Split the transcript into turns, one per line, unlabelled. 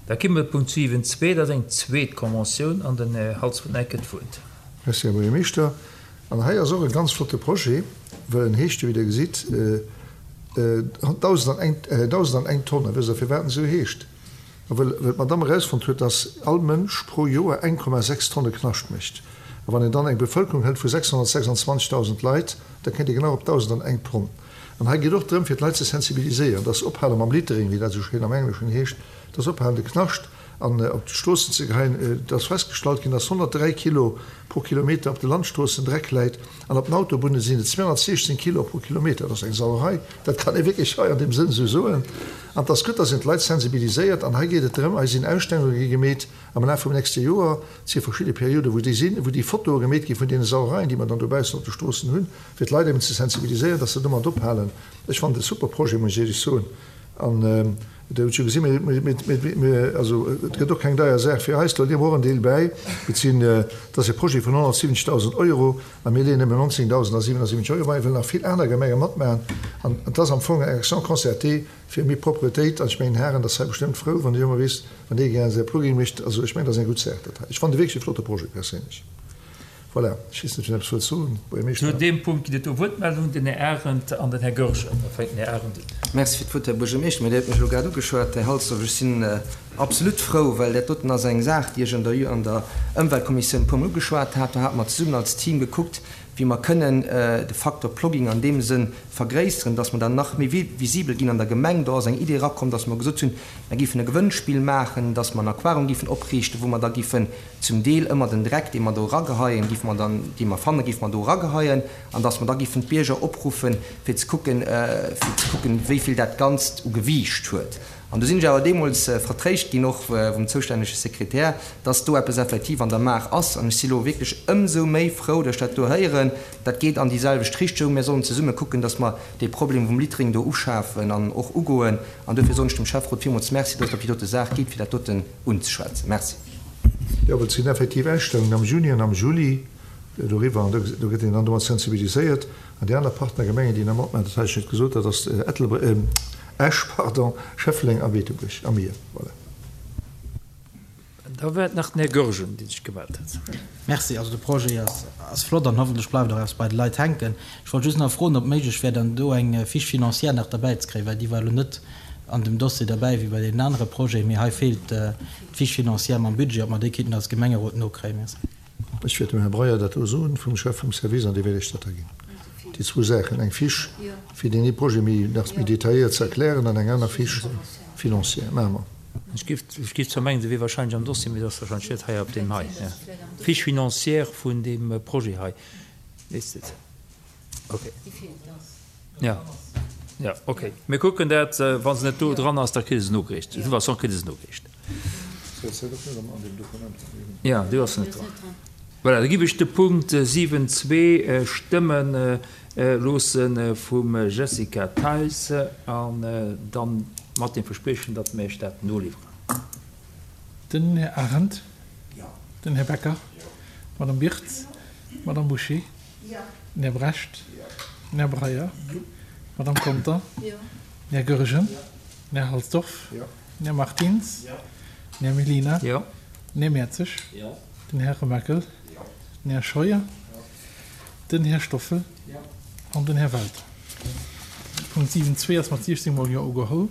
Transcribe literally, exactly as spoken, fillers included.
Da komme mer Punkt siwen zwee, dat ass eng zweet Conventioun an den Här Halsdorf huet nach eng Kéier d'Wuert.
Merci, Här Buergermeeschter. An hei ass och e ganz flotte Projet, well en heescht jo, wéi Der gesitt, dausend an eng, dausend an eng Tonne. Wësst Der, firwat en esou heescht? A well, well d'Madame erausfonnt huet, dass all Mënsch pro Joer eng Komma sechs Tonne Knascht mécht. A wann een dann eng Bevëlkerung hëlt vu sechshonnertsechsundzwanzegdausend Leit, da kéint ee genau op dausend an eng Tonn. An hei geet och drëm, fir d'Leit ze sensibiliséieren, dass se ophale mam Littering, wéi dat esou schéin am Engleschen heescht, dass se ophalen, de Knascht an op d'Stroossen ze geheien. Et ass festgestallt ginn, dass honnertdräi Kilo pro Kilometer op de Landstroossen Dreck läit an op den Autobunne sinn et zweehonnertsiechzehn Kilo pro Kilometer. Dat ass eng Sauerei, dat kann ee wierklech hei an deem Sënn esou soen. An et ass gutt, dass een d'Leit sensibiliséiert. An hei geet et drëm, hei sinn Ausstellunge gi gemeet am Laf vum nächste Joer, et si verschidde Perioden, wou déi sinn, wou déi Fotoe gemeet gi vun deene Sauereien, déi mer dann dobaussen op de Stroossen hunn, fir d'Leit eben ze sensibiliséieren, dass se domat ophalen. Ech fannen et e super Projet, muss ech éierlech soen. An Der hutt jo gesinn, mir, also et gëtt och keng deier Saach fir eis, do leeë mer och en Deel bäi. Et sinn, et ass e Projet vun honnertsiwwenzegdausend Euro a mir leeën nëmmen nonzéngdausendasiwwenasiwwenzeg Euro bäi, wëll nach vill aner Gemenge matmaachen. An et ass am Fong eng Action concertée fir méi Propretéit. An ech mengen, Haren, dat ass hei bestëmmt frou, wann Dir ëmmer weess, wann ee gär säi Plugging mécht. Also ech mengen, dat ass eng gutt Saach, dat hei. Ech fannen e wierklech e flotte Projet perséinlech. Voilà, ech weess net, wien eppes wëllt soen. Buergermeeschter.
Zu deem Punkt ginn et do Wuertmeldungen, den Här Arendt an den Här Goergen. Da fänkt den Här Arendt un.
Merci fir d'Wuert, Här Buergermeeschter. Mä Dir hutt mech elo grad ugeschwat, Här Halsdorf. Ech sinn absolut frou, well dat doten ass eng Saach, déi ech an der an der Ëmweltkommissioun e puermol ugeschwat hat. Do hate mer zesummen als Team gekuckt, wéi mer kënnen de Faktor Plogging an deem Sënn vergréisseren, dass mer dann nach méi visibel ginn an der Gemeng. Do ass eng Idee erakomm, dass mer gesot hunn, mer géifen e Gewënnspill maachen, dass mer en Aquarium géifen opriichten, wou mer da géifen zum Deel ëmmer den Dreck, dee mer do erageheien, géife mer dann, dee mer fannen, géife mer do erageheien, an dass mer da géifen d'Bierger opruffen, fir ze kucken, fir ze kucken, wéi vill dat Ganzt u Gewiicht huet. An do sinn ech awer deemools vertréischt ginn, och vum zoustännege Sekretär, dass do eppes effektiv an der Maach ass. An ech si lo wierklech ëmsou méi frou, dass ech dat do héieren. Dat geet an déi selwecht Richtung. Mir sollen zesumme kucken, dass mer dee Problem vum Littering do uschafen an och ugoen. An dofir soen ech dem Schäfferot villmools Merci, dass et op déi dote Saach geet, fir dat doten unzeschwätzen. Merci.
Jo, well et sinn effektiv Ausstellungen am Juni an am Juli doriwwer an do gëtt een dann domat sensibiliséiert. An déi aner Partnergemengen, déi nach matmaachen, dat hat ech net gesot, dat ass Ettelbréck, Esch, pardon, Schëffleng a Beetebuerg a mir. Voilà.
Da war et nach den Här Goergen, dee sech gemellt hat.
Merci. Also de Projet ass, ass flott an hoffentlech bleift och eppes bei de Leit hänken. Ech wollt just nach froen, ob méiglech wär, dann do eng Fiche financière nach derbäi ze kréien, well déi war elo net an dem Dossier derbäi wéi bei deenen anere Projeten. Mee hei feelt d'Fiche financière mam Budget, ob mer déi kéinten als Gemengerot nokréien. Merci.
Ech wäert dem Här Breyer dat do soen, vum Chef vum Service, an dee wäert Iech dat da ginn. Déi zwou Saachen, eng Fiche, fir deen ee Projet méi, nach méi detailléiert ze erklären, an eng aner Fiche financière. Maache mer.
Ech géif, ech géif zwar mengen, se wier wahrscheinlech am Dossier, mee se ass wahrscheinlech net hei op deem hei. D'Fiche financière vun deem Projet hei, weess de. Okay. Ja. Ja, okay. Mir kucken dat. Wa se net do dran ass, da kritt Der se nogereecht. De toute façon kritt Der se nogereecht. Ja, do ass se net dran. Voilà, da giff ech de Punkt siwen zwee stëmme loosse vum Jessica Theis an dann mat dem Verspriechen, datt mir Iech dat noliwweren.
Den Här Arendt. Den Här Becker. D'Madame Birtz. D'Madame Bouché. Den Här Brecht. Den Här Breyer. D'Madame Conter. Den Här Goergen. Den Här Halsdorf. Den Här Martins. Den Här Mellina. Den Här Mertzig. Den Här Remakel. Den Här Scheuer. Den Här Stoffel an den Här Welter. Punkt siwen zwee ass mat siechzéng mol Jo ugeholl.